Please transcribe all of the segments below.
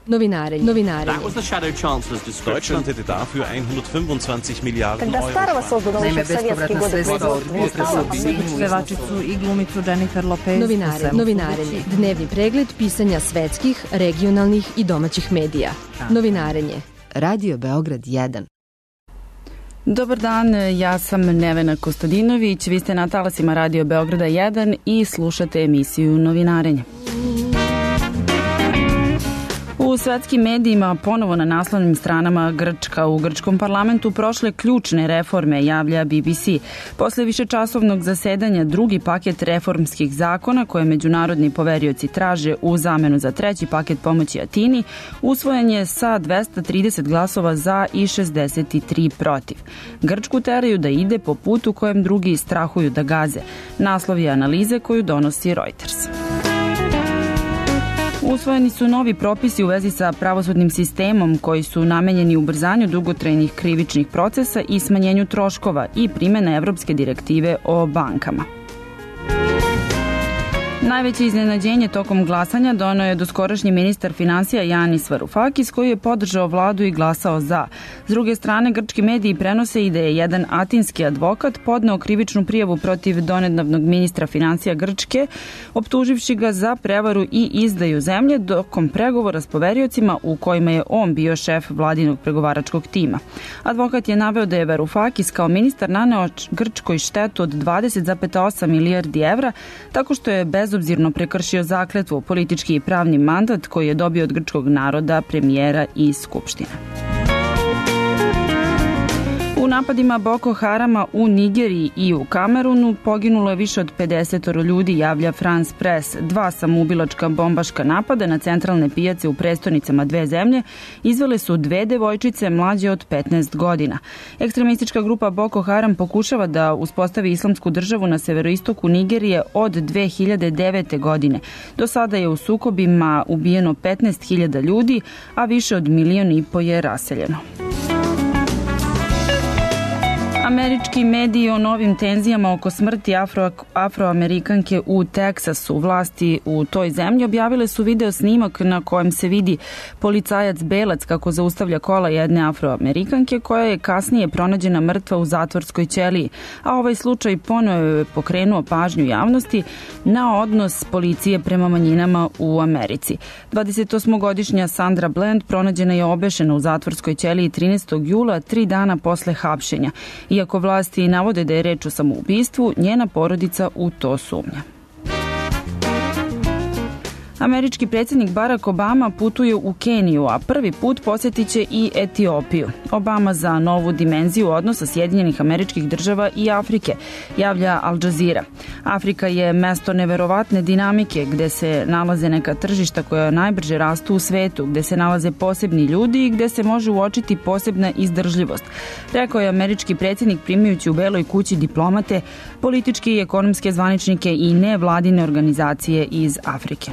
Novinarenje. Deutschland hätte dafür 125 Milijardi euro. Naime, bespovratna sredstva od pevačicu i glumicu Jennifer Lopez. Novinarenje. Dnevni pregled pisanja svetskih, regionalnih i domaćih medija. Novinarenje. Radio Beograd 1. Dobar dan, ja sam Nevena Kostadinović, vi ste na talasima Radio Beograda 1 i slušate emisiju Novinarenje. U svetskim medijima ponovo na naslovnim stranama Grčka. U grčkom parlamentu prošle ključne reforme, javlja BBC. Posle višečasovnog zasedanja drugi paket reformskih zakona koje međunarodni poverioci traže u zamenu za treći paket pomoći Atini usvojen je sa 230 glasova za i 63 protiv. Grčku teraju da ide po putu kojem drugi strahuju da gaze. Naslov je analize koju donosi Reuters. Usvojeni su novi propisi u vezi sa pravosudnim sistemom koji su namenjeni ubrzanju dugotrajnih krivičnih procesa i smanjenju troškova i primene Evropske direktive o bankama. Najveće iznenađenje tokom glasanja doneo je doskorašnji ministar finansija Yanis Varoufakis koji je podržao vladu i glasao za. S druge strane, grčki mediji prenose i da je jedan atinski advokat podneo krivičnu prijavu protiv donedavnog ministra finansija Grčke, optuživši ga za prevaru i izdaju zemlje tokom pregovora s poveriocima u kojima je on bio šef vladinog pregovaračkog tima. Advokat je naveo da je Varoufakis kao ministar naneo Grčkoj štetu od 20,8 milijardi evra tako što je bezobzirno prekršio zakletvu, politički i pravni mandat koji je dobio od grčkog naroda, premijera i skupštine. U napadima Boko Harama u Nigeriji i u Kamerunu poginulo je više od 50 ljudi, javlja France Press. 2 samoubilačka bombaška napada na centralne pijace u prestonicama dve zemlje izvele su 2 devojčice mlađe od 15 godina. Ekstremistička grupa Boko Haram pokušava da uspostavi islamsku državu na severoistoku Nigerije od 2009. godine. Do sada je u sukobima ubijeno 15.000 ljudi, a više od 1,5 miliona je raseljeno. Američki mediji o novim tenzijama oko smrti afroamerikanke u Teksasu. Vlasti u toj zemlji objavile su video snimak na kojem se vidi policajac belac kako zaustavlja kola jedne afroamerikanke koja je kasnije pronađena mrtva u zatvorskoj ćeliji. A ovaj slučaj ponovo je pokrenuo pažnju javnosti na odnos policije prema manjinama u Americi. 28-godišnja Sandra Bland pronađena je obešena u zatvorskoj ćeliji 13. jula, 3 dana posle hapšenja. Iako vlasti navode da je reč o samoubistvu, njena porodica u to sumnja. Američki predsjednik Barack Obama putuje u Keniju, a prvi put posjetit će i Etiopiju. Obama za novu dimenziju odnosa Sjedinjenih Američkih Država i Afrike, javlja Al Jazeera. Afrika je mesto neverovatne dinamike gde se nalaze neka tržišta koja najbrže rastu u svetu, gde se nalaze posebni ljudi i gde se može uočiti posebna izdržljivost, rekao je američki predsjednik primajući u Beloj kući diplomate, političke i ekonomske zvaničnike i nevladine organizacije iz Afrike.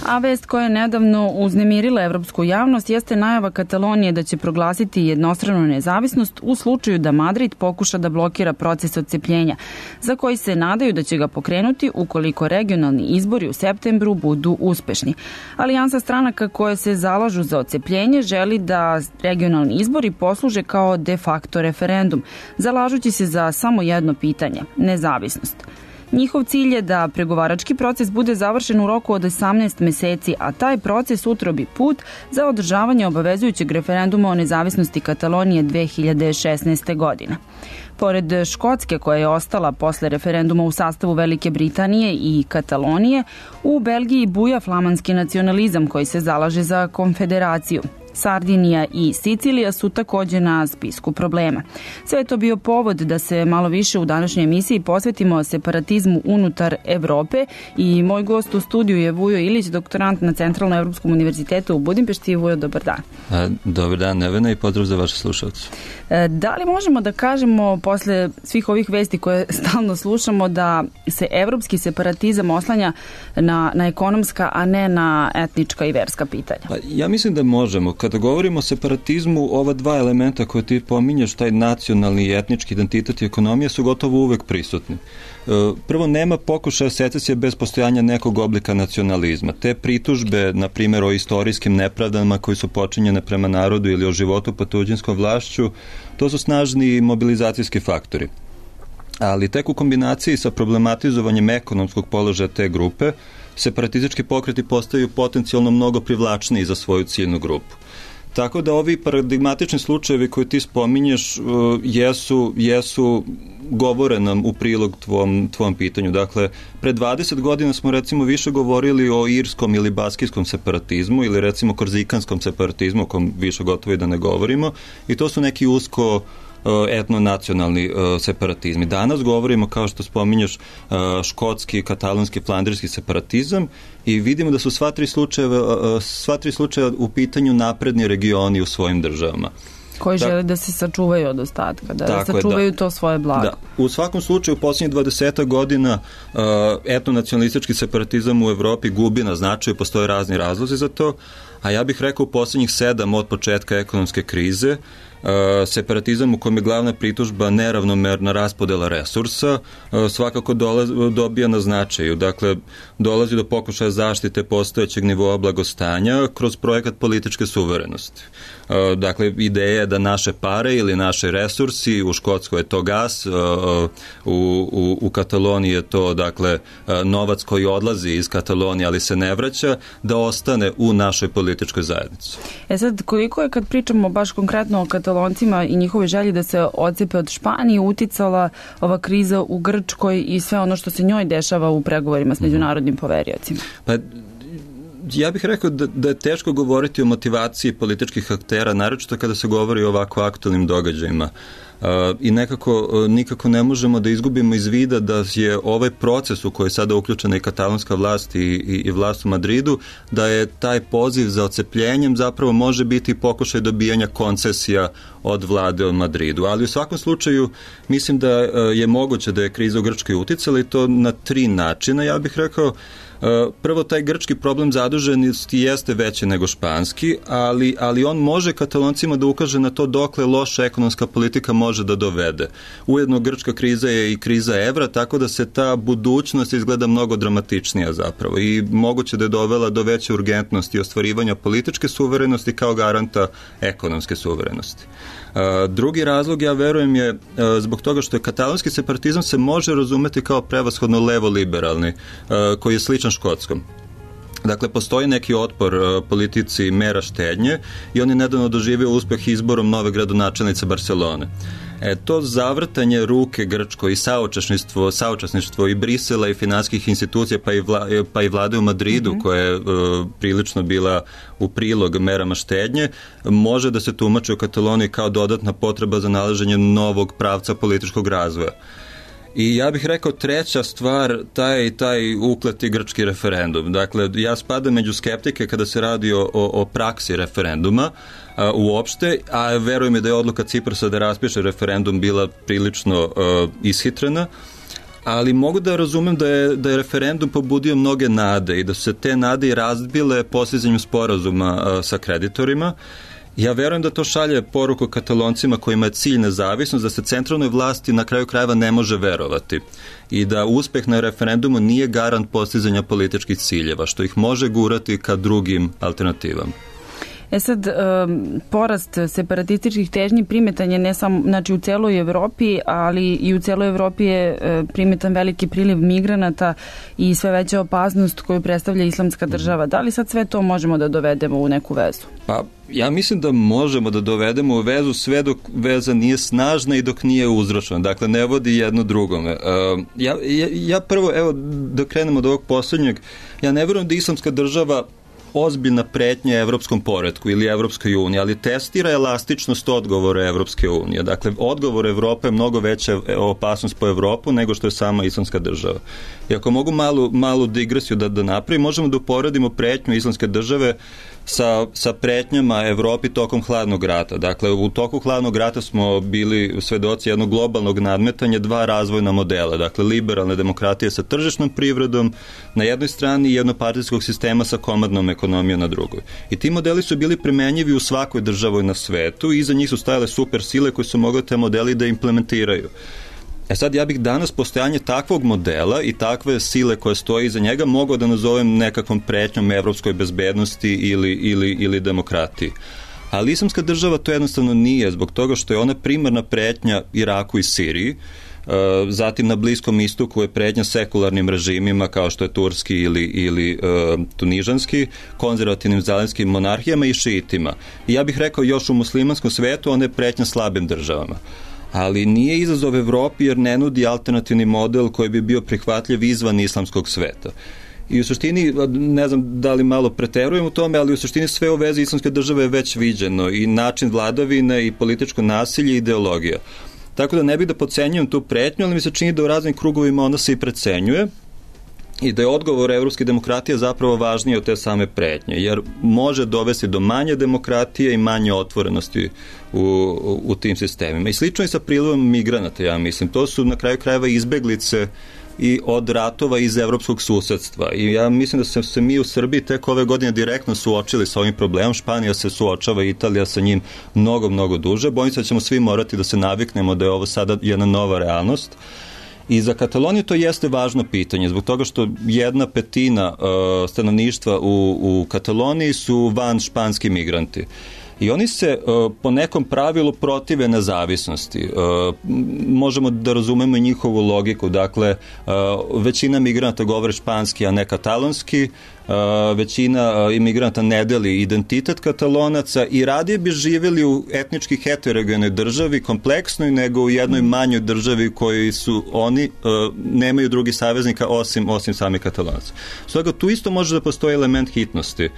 A vest koja je nedavno uznemirila evropsku javnost jeste najava Katalonije da će proglasiti jednostranu nezavisnost u slučaju da Madrid pokuša da blokira proces odcepljenja, za koji se nadaju da će ga pokrenuti ukoliko regionalni izbori u septembru budu uspešni. Alijansa stranaka koje se zalažu za odcepljenje želi da regionalni izbori posluže kao de facto referendum, zalažući se za samo jedno pitanje – nezavisnost. Njihov cilj je da pregovarački proces bude završen u roku od 18 meseci, a taj proces utrobi put za održavanje obavezujućeg referenduma o nezavisnosti Katalonije 2016. godine. Pored Škotske, koja je ostala posle referenduma u sastavu Velike Britanije i Katalonije, u Belgiji buja flamanski nacionalizam koji se zalaže za konfederaciju. Sardinija i Sicilija su takođe na spisku problema. Sve je to bio povod da se malo više u današnjoj emisiji posvetimo separatizmu unutar Evrope i moj gost u studiju je Vujo Ilić, doktorant na Centralnom Evropskom univerzitetu u Budimpešti. Vujo, dobar dan. Dobar dan, Nevena, i pozdrav za vaše slušalce. Da li možemo da kažemo posle svih ovih vesti koje stalno slušamo da se evropski separatizam oslanja na ekonomska, a ne na etnička i verska pitanja? Ja mislim da možemo. Kada govorimo o separatizmu, ova dva elementa koje ti pominješ, taj nacionalni i etnički identitet i ekonomija, su gotovo uvek prisutni. Prvo, nema pokušaja secesije bez postojanja nekog oblika nacionalizma. Te pritužbe, na primjer, o istorijskim nepravdama koji su počinjene prema narodu ili o životu pod tuđinskom vlašću, to su snažni mobilizacijski faktori. Ali tek u kombinaciji sa problematizovanjem ekonomskog položaja te grupe, separatistički pokreti postaju potencijalno mnogo privlačniji za svoju ciljnu grupu. Tako da ovi paradigmatični slučajevi koje ti spominješ jesu govore nam u prilog tvom pitanju. Dakle, pre 20 godina smo recimo više govorili o irskom ili baskijskom separatizmu ili recimo korzikanskom separatizmu, o kom više gotovo i da ne govorimo, i to su neki usko etnonacionalni separatizmi. Danas govorimo, kao što spominješ, škotski, katalonski, flandrijski separatizam i vidimo da su sva tri slučaja u pitanju napredni regioni u svojim državama. Koji žele da se sačuvaju od ostatka, da sačuvaju to svoje blago. Da. U svakom slučaju, u posljednjih 20 godina etnonacionalistički separatizam u Evropi gubi na značaju, postoje razni razlozi za to, a ja bih rekao u posljednjih 7 od početka ekonomske krize, separatizam u kojem je glavna pritužba neravnomerna raspodela resursa svakako dobija na značaju. Dakle, dolazi do pokušaja zaštite postojećeg nivoa blagostanja kroz projekat političke suverenosti. Dakle, ideja je da naše pare ili naše resursi, u Škotskoj je to gas, u Kataloniji je to, dakle, novac koji odlazi iz Katalonije, ali se ne vraća, da ostane u našoj političkoj zajednici. Sad, koliko je, kad pričamo baš konkretno o Kataloncima i njihove želji da se odcepe od Španije, uticala ova kriza u Grčkoj i sve ono što se njoj dešava u pregovorima s međunarodnim poveriocima? Pa, ja bih rekao da je teško govoriti o motivaciji političkih aktera, naročito kada se govori o ovako aktualnim događajima. I nikako ne možemo da izgubimo iz vida da je ovaj proces u koji je sada uključena i katalonska vlast i vlast u Madridu, da je taj poziv za odcepljenjem zapravo može biti pokušaj dobijanja koncesija od vlade u Madridu. Ali u svakom slučaju mislim da je moguće da je kriza u Grčkoj uticala i to na 3 načina, ja bih rekao. Prvo, taj grčki problem zaduženosti jeste veći nego španski, ali on može Kataloncima da ukaže na to dokle loša ekonomska politika može da dovede. Ujedno, grčka kriza je i kriza evra, tako da se ta budućnost izgleda mnogo dramatičnija zapravo i moguće da je dovela do veće urgentnosti i ostvarivanja političke suverenosti kao garanta ekonomske suverenosti. Drugi razlog, ja verujem, je zbog toga što je katalonski separatizam se može razumeti kao prevashodno levo-liberalni, koji je sličan škotskom. Dakle, postoji neki otpor politici mera štednje i on je nedavno doživio uspeh izborom nove gradonačelnice Barcelone. To zavrtanje ruke Grčkoj i saučesništvo i Brisela i finanskih institucija pa i vlade u Madridu, koja je prilično bila u prilog merama štednje, može da se tumači u Kataloniji kao dodatna potreba za nalaženje novog pravca političkog razvoja. I ja bih rekao treća stvar, taj ukleti grčki referendum. Dakle, ja spadam među skeptike kada se radi o praksi referenduma uopšte, a verujem da je odluka Ciprasa da raspiše referendum bila prilično ishitrena, ali mogu da razumem da je referendum pobudio mnoge nade i da su se te nade i razbile postizanjem sporazuma sa kreditorima. Ja verujem da to šalje poruku Kataloncima kojima je cilj nezavisnost, da se centralnoj vlasti na kraju krajeva ne može verovati i da uspeh na referendumu nije garant postizanja političkih ciljeva, što ih može gurati ka drugim alternativama. Sad, porast separatističkih težnji primetan je ne samo, znači, u celoj Evropi, ali i u celoj Evropi je primetan veliki priliv migranata i sve veća opasnost koju predstavlja Islamska država. Da li sad sve to možemo da dovedemo u neku vezu? Pa, ja mislim da možemo da dovedemo u vezu sve dok veza nije snažna i dok nije uzročena. Dakle, ne vodi jedno drugome. Ja prvo, evo, da krenemo od ovog posljednjeg, ja ne verujem da Islamska država ozbiljna pretnja evropskom poretku ili Evropskoj uniji, ali testira elastičnost odgovora Evropske unije. Dakle, odgovor Evrope je mnogo veća opasnost po Evropu nego što je sama Islamska država. I ako mogu malu digresiju da napravim, možemo da uporedimo pretnju Islamske države sa pretnjama Evropi tokom hladnog rata. Dakle, u toku hladnog rata smo bili svedoci jednog globalnog nadmetanja, dva razvojna modela. Dakle, liberalne demokratije sa tržišnom privredom na jednoj strani i jednopartijskog sistema sa komandnom ekonomijom na drugoj. I ti modeli su bili primenjivi u svakoj državi na svetu i iza njih su stajale super sile koje su mogle te modeli da implementiraju. Sad, ja bih danas postojanje takvog modela i takve sile koje stoje iza njega mogao da nazovem nekakvom pretnjom evropskoj bezbednosti ili demokratiji. Ali islamska država to jednostavno nije, zbog toga što je ona primarna pretnja Iraku i Siriji, zatim na Bliskom istoku je pretnja sekularnim režimima kao što je turski ili tunižanski, konzervativnim zalenskim monarhijama i šiitima. I ja bih rekao još u muslimanskom svetu ona je pretnja slabim državama. Ali nije izazov Evropi jer ne nudi alternativni model koji bi bio prihvatljiv izvan islamskog sveta. I u suštini, ne znam da li malo preterujem u tome, ali u suštini sve u vezi islamske države je već viđeno i način vladavine i političko nasilje i ideologija. Tako da ne bih da podcenjujem tu pretnju, ali mi se čini da u raznim krugovima ona se i precenjuje i da je odgovor evropske demokratije zapravo važniji od te same pretnje, jer može dovesti do manje demokratije i manje otvorenosti u tim sistemima. I slično i sa prilivom migranata, ja mislim. To su na kraju krajeva izbeglice i od ratova iz evropskog susedstva. I ja mislim da smo se mi u Srbiji tek ove godine direktno suočili sa ovim problemom. Španija se suočava, Italija sa njim mnogo duže. Bojim se da ćemo svi morati da se naviknemo da je ovo sada jedna nova realnost. I za Kataloniju to jeste važno pitanje, zbog toga što 1/5 stanovništva u Kataloniji su van španski migranti. I oni se po nekom pravilu protive nezavisnosti. Možemo da razumemo njihovu logiku. Dakle, većina migranata govore španski, a ne katalonski. Većina imigranta ne deli identitet Katalonaca i radije bi živjeli u etnički heterogenoj državi, kompleksnoj, nego u jednoj manjoj državi koji su oni, nemaju drugih saveznika osim sami Katalonaca. Stoga tu isto može da postoji element hitnosti.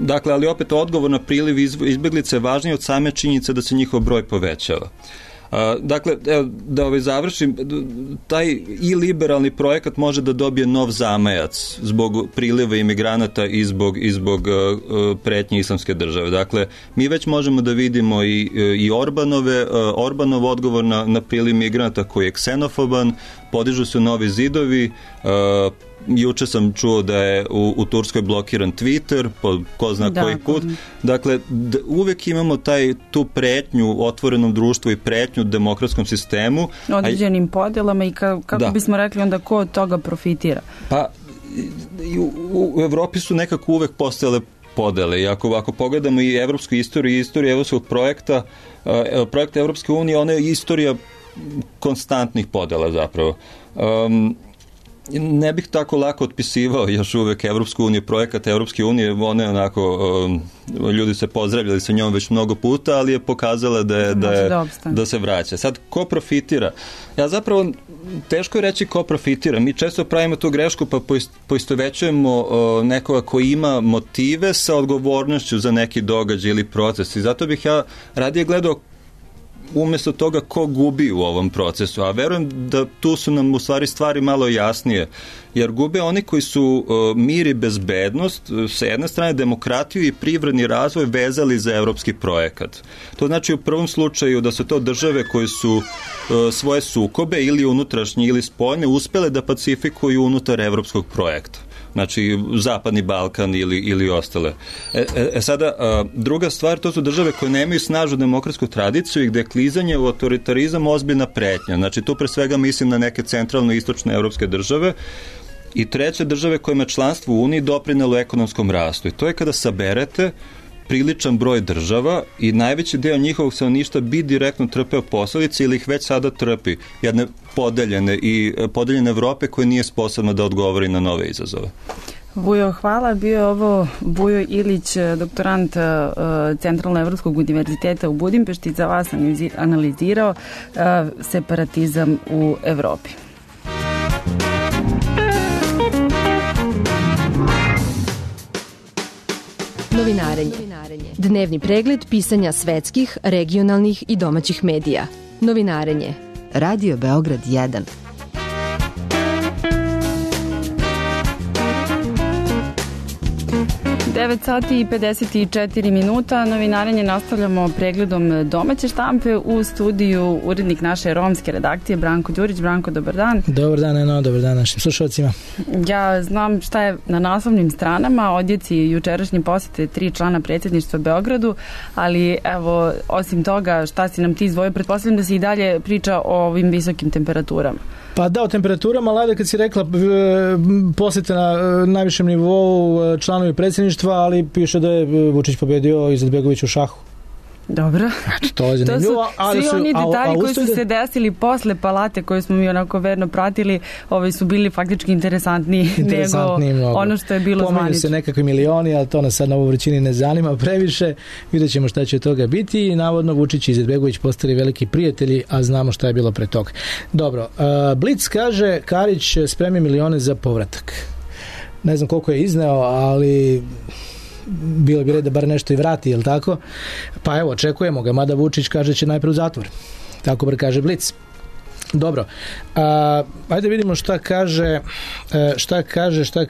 Dakle, ali opet odgovor na priliv izbeglice je važniji od same činjenice da se njihov broj povećava. Dakle, da završim, taj i liberalni projekat može da dobije nov zamajac zbog priliva imigranata i zbog pretnje islamske države. Dakle, mi već možemo da vidimo i Orbanov odgovor na priliv migranata koji je ksenofoban, podižu se novi zidovi. Juče sam čuo da je u Turskoj blokiran Twitter, po ko zna koji put. Dakle, uvek imamo tu pretnju otvorenom društvu i pretnju demokratskom sistemu. Određenim podelama i kako bismo rekli onda ko od toga profitira? Pa, u Evropi su nekako uvek postojale podele i ako pogledamo i evropsku istoriju i istoriju evropskog projekta, projekt Evropske unije, ona je istorija konstantnih podela zapravo. Ne bih tako lako otpisivao još uvek Evropsku uniju, projekat Evropske unije, one onako, ljudi se pozdravljali sa njom već mnogo puta, ali je pokazala da se vraća. Sad, ko profitira? Ja zapravo, teško je reći ko profitira. Mi često pravimo tu grešku pa poistovećujemo nekoga koji ima motive sa odgovornošću za neki događaj ili proces. I zato bih ja radije gledao umjesto toga ko gubi u ovom procesu, a verujem da tu su nam u stvari stvari malo jasnije, jer gube oni koji su mir i bezbednost, sa jedne strane demokratiju i privredni razvoj vezali za evropski projekat. To znači u prvom slučaju da su to države koje su svoje sukobe ili unutrašnje ili spoljne uspele da pacifikuju unutar evropskog projekta. Znači Zapadni Balkan ili ostale. Sada, druga stvar, to su države koje nemaju snažnu demokratsku tradiciju i gde je klizanje u autoritarizam ozbiljna pretnja. Znači tu pre svega mislim na neke centralno istočne evropske države. I treće, države kojima je članstvo u Uniji doprinelo ekonomskom rastu. I to je kada saberete priličan broj država i najveći deo njihovog stanovništva bi direktno trpeo posledice ili ih već sada trpi, jedne podeljene Evrope koje nije sposobna da odgovori na nove izazove. Vujo, hvala. Bio je ovo Vujo Ilić, doktorant Centralno-Evropskog univerziteta u Budimpešti, za vas analizirao separatizam u Evropi. Novinarenje. Dnevni pregled pisanja svetskih, regionalnih i domaćih medija. Novinarenje. Radio Beograd 1. 9 sati i 54 minuta. Novinarenje nastavljamo pregledom domaće štampe. U studiju urednik naše romske redakcije Branko Đurić. Branko, dobar dan. Dobar dan, Eno, dobar dan našim slušalcima. Ja znam šta je na naslovnim stranama, odjeci jučerašnje posete 3 člana predsjedništva Beogradu, ali evo, osim toga, šta si nam ti izdvojio? Pretpostavljam da se i dalje priča o ovim visokim temperaturama. Pa da, o temperaturama, ali kad si rekla posete na najvišem nivou članovi predsjedništva, ali piše da je Vučić pobedio Izetbegović u šahu. Dobro. Znači, to je zanimljivo. To su svi oni detalji koji su se desili posle palate koje smo mi onako verno pratili, su bili faktički interesantniji nego mnogo. Ono što je bilo zvanično. Pominju se nekakvi milioni, ali to nas sad na ovoj vrućini ne zanima previše. Vidjet ćemo šta će od toga biti i navodno Vučić i Izetbegović postali veliki prijatelji, a znamo šta je bilo pre toga. Dobro, Blic kaže Karić spremi milione za povratak. Ne znam koliko je izneo, ali bilo bi red da bar nešto i vrati, je li tako? Pa evo, očekujemo ga, mada Vučić kaže će najprej u zatvor. Tako bar kaže Blic. Dobro, ajde vidimo šta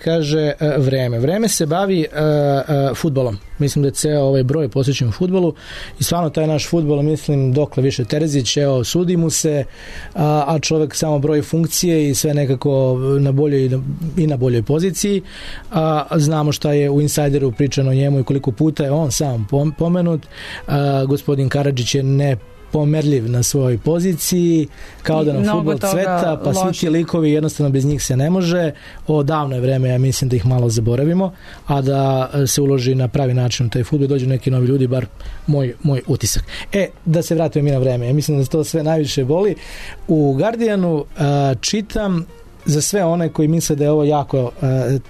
kaže Vreme. Vreme se bavi fudbalom. Mislim da je ceo ovaj broj posvećen fudbalu i stvarno taj naš fudbal, mislim, dokle više Terzić, evo, sudi mu se, a čovjek samo broji funkcije i sve nekako na boljoj poziciji. Znamo šta je u Insajderu pričano o njemu i koliko puta je on sam pomenut. Gospodin Karadžić je nepomerljiv na svojoj poziciji, kao da nam fudbal cveta, pa svi ti likovi jednostavno bez njih se ne može. Davno je vreme, ja mislim da ih malo zaboravimo, a da se uloži na pravi način u taj fudbal, dođu neki novi ljudi, bar moj utisak. Da se vratimo mi na vreme, ja mislim da to sve najviše boli. U Guardianu čitam za sve one koji misle da je ovo jako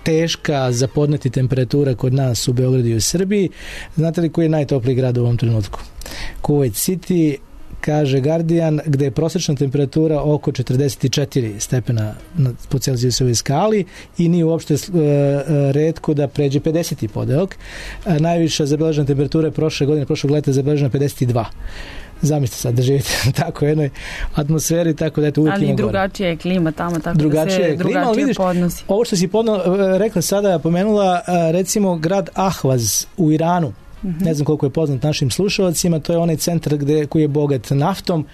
teška za podneti temperatura kod nas u Beogradu i u Srbiji. Znate li koji je najtopliji grad u ovom trenutku? Kuwait City, kaže Guardian, gde je prosječna temperatura oko 44 stepena po Celzijusovoj skali i nije uopšte retko da pređe 50. podeok. Najviša zabeležena temperatura je prošlog leta zabeležena 52. Zamislite sad da živite tako u jednoj atmosferi, tako da uvijek ima gore. Ali drugačija je klima tamo, tako drugačija da se drugačije podnosi. Ovo što si rekla sada, pomenula recimo grad Ahvaz u Iranu. Ne znam koliko je poznat našim slušalcima, to je onaj centar koji je bogat naftom,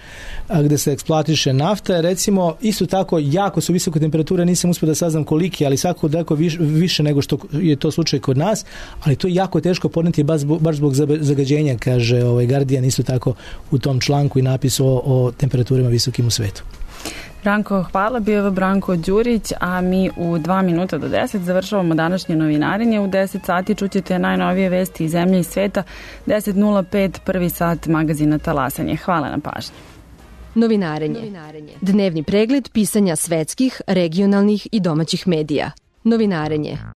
gde se eksploatiše nafta. Recimo, isto tako, jako su visoke temperature, nisam uspio da saznam koliki, ali svako daleko više nego što je to slučaj kod nas, ali to je jako teško podneti baš zbog zagađenja, kaže Guardian isto tako u tom članku i napisu o temperaturama visokim u svetu. Branko, hvala, bio je Branko Đurić, a mi u 2 minuta do 10 završavamo današnje novinarenje. U 10 sati čućete najnovije vesti iz zemlje i sveta. 10:05, prvi sat magazina Talasanje. Hvala na pažnji. Novinarenje. Dnevni pregled pisanja svetskih, regionalnih i domaćih medija. Novinarenje.